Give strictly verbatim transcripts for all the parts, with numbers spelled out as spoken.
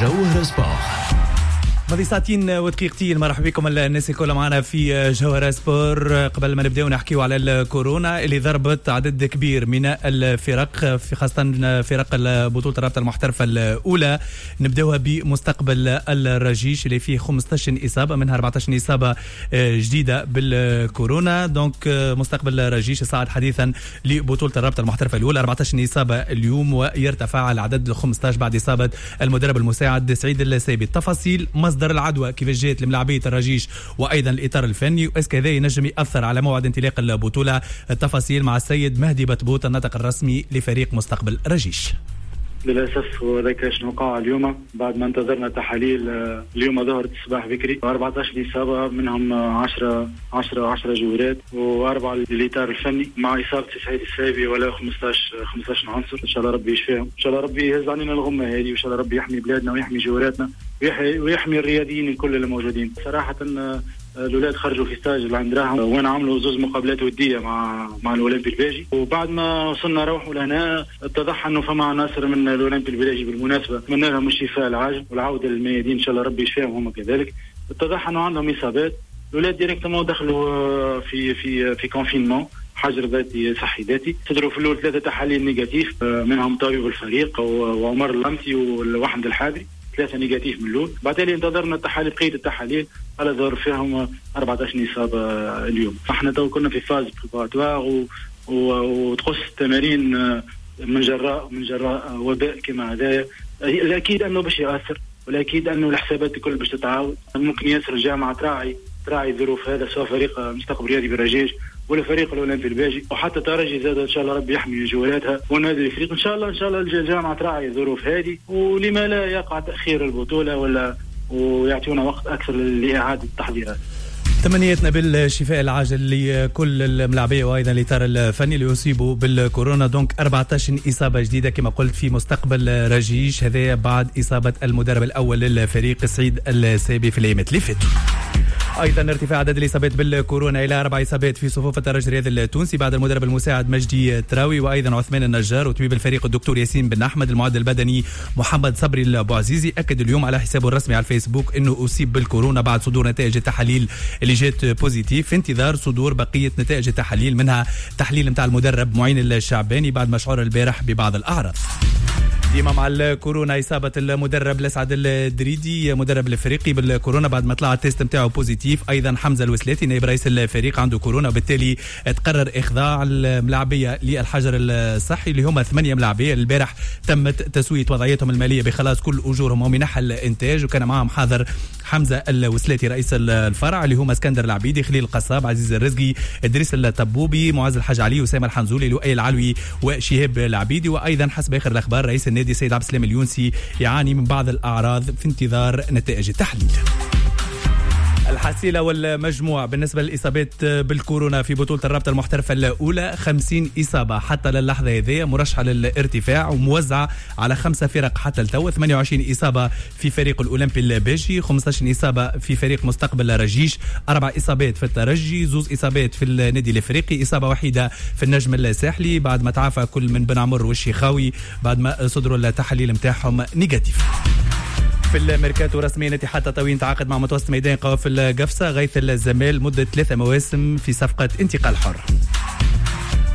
جوهرة سبور. ماضي ساعتين ودقيقتين، مرحبا بكم الناس الكل معنا في جوهرة سبور. قبل ما نبداو نحكيو على الكورونا اللي ضربت عدد كبير من الفرق، في خاصة فرق بطولة الرابطة المحترفة الأولى. نبداوها بمستقبل الرجيش اللي فيه خمسطاش إصابة، منها أربعطاش إصابة جديدة بالكورونا. donc مستقبل الرجيش صعد حديثا لبطولة الرابطة المحترفة الأولى، أربعطاش إصابة اليوم ويرتفع العدد ل خمسطاش بعد إصابة المدرب المساعد سعيد السايبي. التفاصيل، مصدر العدوى كيفاش جات لملاعبية الرجيش وأيضا الإطار الفني، و est-ce que هذا ينجم يأثر على موعد انطلاق البطولة. التفاصيل مع السيد مهدي بطبوط الناطق الرسمي لفريق مستقبل رجيش. للأسف وذاك شنو وقع اليوم بعد ما انتظرنا تحاليل. اليوم ظهرت الصباح بكري أربعطاش إصابة، منهم عشرة عشرة عشرة جوارات وأربعة للإطار الفني، مع إصابة سعيد السايبي ولا خمسطاش خمسطاش عنصر. إن شاء الله ربي يشفيهم، إن شاء الله ربي يهز علينا الغمة هذه، وإن شاء الله ربي يحمي بلادنا ويحمي جواراتنا ويحمي الرياضيين الكل اللي موجودين. صراحة الأولاد خرجوا في stage اللي عند راهم، وين عملوا زوز مقابلات ودية مع مع الأولمبي الباجي، وبعد ما وصلنا روحوا لهنا اتضح أنه فما عناصر من الأولمبي الباجي بالمناسبة، أتمنى لهم الشفاء العاجل والعودة للميادين إن شاء الله ربي يشفيهم هم كذلك. اتضح أنه عندهم إصابات، الأولاد directement دخلوا في في في confinement، حجر ذاتي صحي ذاتي. صدروا في الأول ثلاثة تحاليل négatif، منهم طبيب الفريق وعمر اللمسي وأحمد الحاضري، ثلاثة négatif من الأول. بعد انتظرنا التحاليل، بقية التحاليل على ظهر فيهم أربعطاش إصابة اليوم. احنا تو كنا في phase préparatoire وتقص التمارين من جراء من جراء وباء كما هذايا. الأكيد أنه باش يأثر، والأكيد أنه الحسابات الكل باش تتعاود. ممكن ياسر الجامعة تراعي تراعي ظروف هذا، سواء فريق مستقبل رياضي برجيش ولا فريق الاولمبي الباجي، وحتى ترجي زاد ان شاء الله ربي يحمي جوالاتها والنادي الافريقي. ان شاء الله ان شاء الله الجامعة تراعي الظروف هذه، ولما لا يقع تاخير البطولة ولا ويعطونا وقت اكثر لاعادة التحضيرات. تمنياتنا بالشفاء العاجل لكل الملاعبيه وايضا الاطار الفني اللي اصيبوا بالكورونا. donc أربعطاش اصابه جديدة كما قلت في مستقبل رجيش، هذا بعد اصابه المدرب الاول للفريق سعيد السايبي في الايامات اللي فاتوا. ايضا ارتفاع عدد الاصابات بالكورونا الى اربع اصابات في صفوف الترجي الرياضي التونسي بعد المدرب المساعد مجدي تراوي وايضا عثمان النجار وطبيب الفريق الدكتور ياسين بن احمد. المعد البدني محمد صبري البوعزيزي اكد اليوم على حسابه الرسمي على الفيسبوك انه اصيب بالكورونا بعد صدور نتائج التحاليل اللي جات positif، في انتظار صدور بقية نتائج التحاليل، منها تحليل نتاع المدرب معين الشعباني بعد ما شعر البارح ببعض الاعراض. ديما مع الكورونا إصابة المدرب لسعد الدريدي مدرب الافريقي بالكورونا بعد ما طلع ال test نتاعو positif. ايضا حمزة الوسلاتي نائب رئيس الفريق عنده كورونا، وبالتالي تقرر اخضاع الملاعبيه للحجر الصحي اللي هما ثمانية ملاعبيه. البارح تمت تسويه وضعيتهم المالية بخلاص كل اجورهم ومنح الانتاج، وكان معهم حاضر حمزة الوسلاتي رئيس الفرع اللي هما اسكندر العبيدي، خليل القصاب، عزيز الرزقي، ادريس الطبوبي، معز الحاج علي، اسامة الحنزولي، لؤي العلوي، وشهاب العبيدي. وايضا حسب اخر الاخبار رئيس النادي سيد عبد السلام اليونسي يعاني من بعض الأعراض في انتظار نتائج التحليل. الحصيلة والمجموع بالنسبة للإصابات بالكورونا في بطولة الرابطة المحترفة الأولى خمسين إصابة حتى للحظة هذه، مرشحة للارتفاع وموزعة على خمسة فرق حتى التو. ثمانية وعشرين إصابة في فريق الأولمبي الباجي، خمسطاش إصابة في فريق مستقبل رجيش، أربع إصابات في الترجي، زوز إصابات في النادي الإفريقي، إصابة وحيدة في النجم الساحلي بعد ما تعافى كل من بن عمر والشيخاوي بعد ما صدروا التحاليل متاعهم négatif. في الميركاتو رسميا اتحاد تطاوين تعاقد مع متوسط ميدان قوافل قفصة غيث الزمال مدة ثلاثة مواسم في صفقة انتقال حر.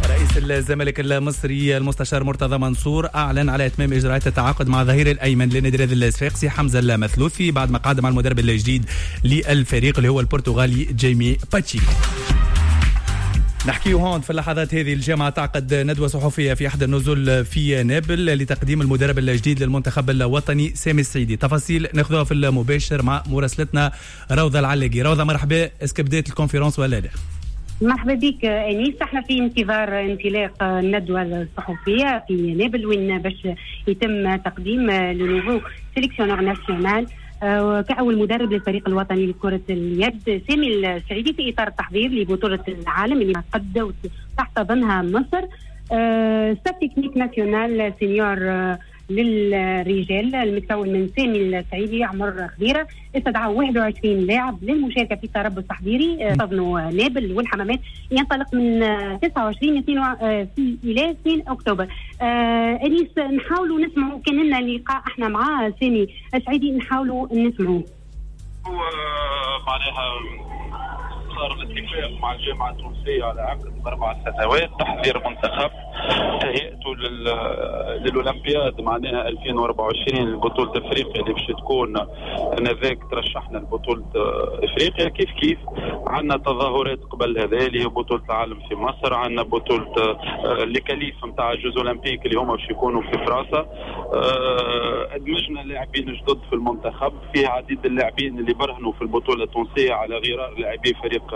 رئيس الزمالك المصري المستشار مرتضى منصور أعلن على إتمام إجراءات التعاقد مع ظهير الأيمن لنادي الرياضي الصفاقسي حمزة المثلوثي بعد ما قعد مع المدرب الجديد للفريق اللي هو البرتغالي جيمي باتشيكو. نحكي هون في اللحظات هذه الجامعة تعقد ندوة صحفية في أحد النزل في نابل لتقديم المدرب الجديد للمنتخب الوطني سامي السعيدي. تفاصيل ناخذها في المباشر مع مراسلتنا روضة العلاقي. روضة مرحبا، est-ce que بدات ال conférence ولا لا؟ مرحبا بك انيس، احنا في انتظار انطلاق الندوة الصحفية في نابل وين باش يتم تقديم le nouveau sélectionneur national كأول مدرب للفريق الوطني لكرة اليد سامي السعيدي في إطار التحضير لبطولة العالم اللي قد تحتضنها مصر. staff technique national senior للرجال المتكون من سامي السعيدي عمر خضيره، استدعوا واحد وعشرين لاعب للمشاركة في التربص التحضيري تضمن نابل والحمامات، ينطلق من تسعة وعشرين الى اثنين اكتوبر. آه انيس نحاولوا نسمعوا، كان لنا لقاء احنا مع سامي السعيدي نحاولوا نسمعوه. هو معناها صار الاتفاق مع الجامعة التونسية على عقد بأربع سنوات تحضير منتخب تهيئته للأولمبياد معناها ألفين وأربعة وعشرين لبطولة افريقيا اللي باش تكون انذاك ترشحنا لبطولة افريقيا. كيف كيف عندنا تظاهرات قبل هذا اللي هي بطولة العالم في مصر، عندنا بطولة les qualifs نتاع Jeux Olympiques اللي هما باش يكونوا في فرنسا. ادمجنا لاعبين جدد في المنتخب، فيه عديد اللاعبين اللي برهنوا في البطولة التونسية على غرار لاعبي فريق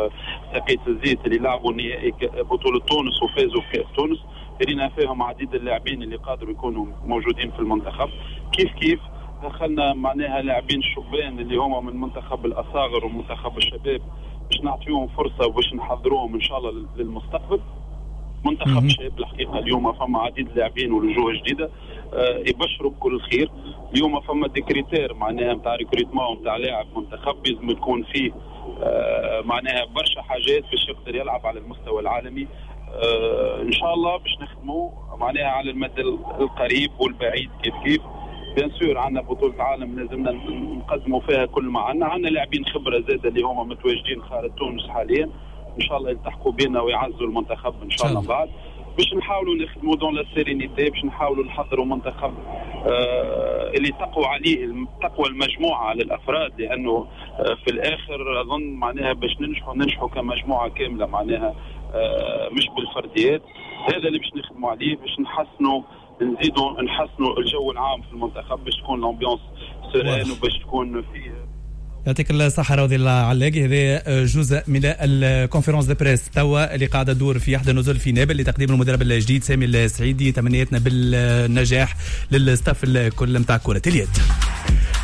ساقية الزيت اللي لعبوا نهائي بطولة تونس وفازوا في كأس تونس، رينا فيهم عديد اللاعبين اللي قادروا يكونوا موجودين في المنتخب. كيف كيف دخلنا معناها لاعبين شبان اللي هما من منتخب الأصاغر ومنتخب الشباب باش نعطيهم فرصة وباش نحضروهم إن شاء الله للمستقبل. منتخب شاب الحقيقة اليوم فما عديد اللاعبين والوجوه جديدة آه يبشروا بكل خير. اليوم فما des critères معناها نتاع recrutement نتاع لاعب منتخب لازم تكون فيه آه معناها برشا حاجات باش يقدر يلعب على المستوى العالمي. آه ان شاء الله باش نخدموا معناها على المدى القريب والبعيد كيف كيف. bien sûr عندنا بطولة عالم لازمنا نقدموا فيها كل ما عندنا، عندنا لاعبين خبرة زادة اللي هما متواجدين خارج تونس حاليا ان شاء الله يلتحقوا بنا ويعزوا المنتخب ان شاء الله بعد، باش نحاولوا نخدموا dans la sérénité، باش نحاولوا نحضروا منتخب آه اللي تقوى عليه تقوى المجموعة على الافراد، لانه آه في الاخر اظن معناها باش ننجحوا ننجحوا كمجموعة كاملة معناها آه مش بالفرديات. هذا اللي باش نخدموا عليه باش نحسنوا نزيدوا نحسنوا الجو العام في المنتخب باش تكون l'ambiance sereine وباش تكون فيه. يعطيك الصحة روضي العلاقي. هذا جزء من ال conférence de presse توا اللي قاعدة تدور في أحد النزل في نابل لتقديم المدرب الجديد سامي السعيدي. تمنياتنا بالنجاح لل staff الكل نتاع كرة اليد.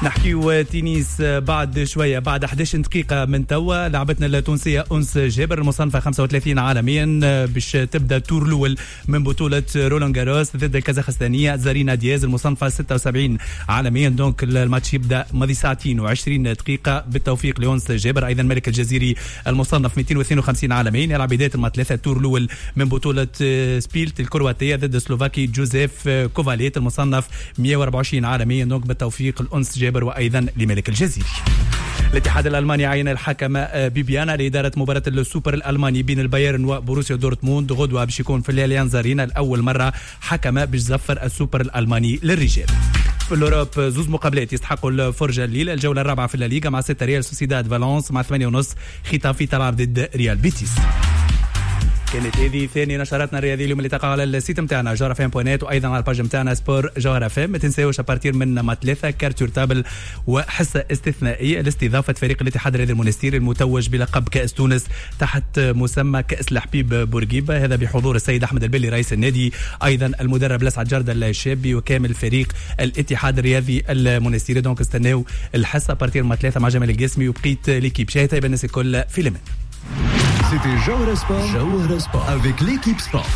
نحكيو تنس بعد شوية، بعد أحد عشر دقيقة من توا لعبتنا التونسية أنس جابر المصنفة خمسة وثلاثين عالميا باش تبدا tour الأول من بطولة رولان جاروس ضد الكازاخستانية زارينا دياز المصنفة ستة وسبعين عالميا. donc الماتش يبدا ماضي ساعتين وعشرين دقيقة. بالتوفيق لأنس جابر. أيضا ملك الجزيري المصنف مئتين واثنين وخمسين عالميا يلعب بداية الماتش ثلاثة tour الأول من بطولة سبيلت الكرواتية ضد السلوفاكي جوزيف كوفاليت المصنف مئة وأربعة وعشرين عالميا. donc بالتوفيق لأنس جابر وأيضا لملك الجزيري. الاتحاد الألماني عين الحكم بيبيانا لإدارة مباراة السوبر الألماني بين البايرن وبروسيا دورتموند غدوة باش يكون في الأليانز أرينا. الأول مرة حكم باش زفر السوبر الألماني للرجال. في l'Europe زوز مقابلات يستحقوا الفرجة الليلة، الجولة الرابعة في الليغا مع ستة ريال سوسيداد فالونس، مع ثمانية ونص خيتافي تلعب ضد ريال بيتيس. كانت هذه ثاني نشراتنا الرياضية اليوم اللي تقع على ال site نتاعنا جوهرة اف ام point net وايضا على ال page نتاعنا sport جوهرة اف ام. ما تنساوش à partir من ما ثلاثة carte sur table وحصه استثنائية لاستضافة فريق الاتحاد الرياضي المونستيري المتوج بلقب كاس تونس تحت مسمى كاس الحبيب بورقيبة، هذا بحضور السيد احمد البلي رئيس النادي، ايضا المدرب لسعد جردة الشابي وكامل فريق الاتحاد الرياضي المونستيري. donc استناو الحصة à partir ما ثلاثة مع جمال القاسمي وبقية l'équipe. شاهد طيب الناس الكل في لمن. C'était Jawhara Sport, Jawhara Sport avec l'équipe Sport.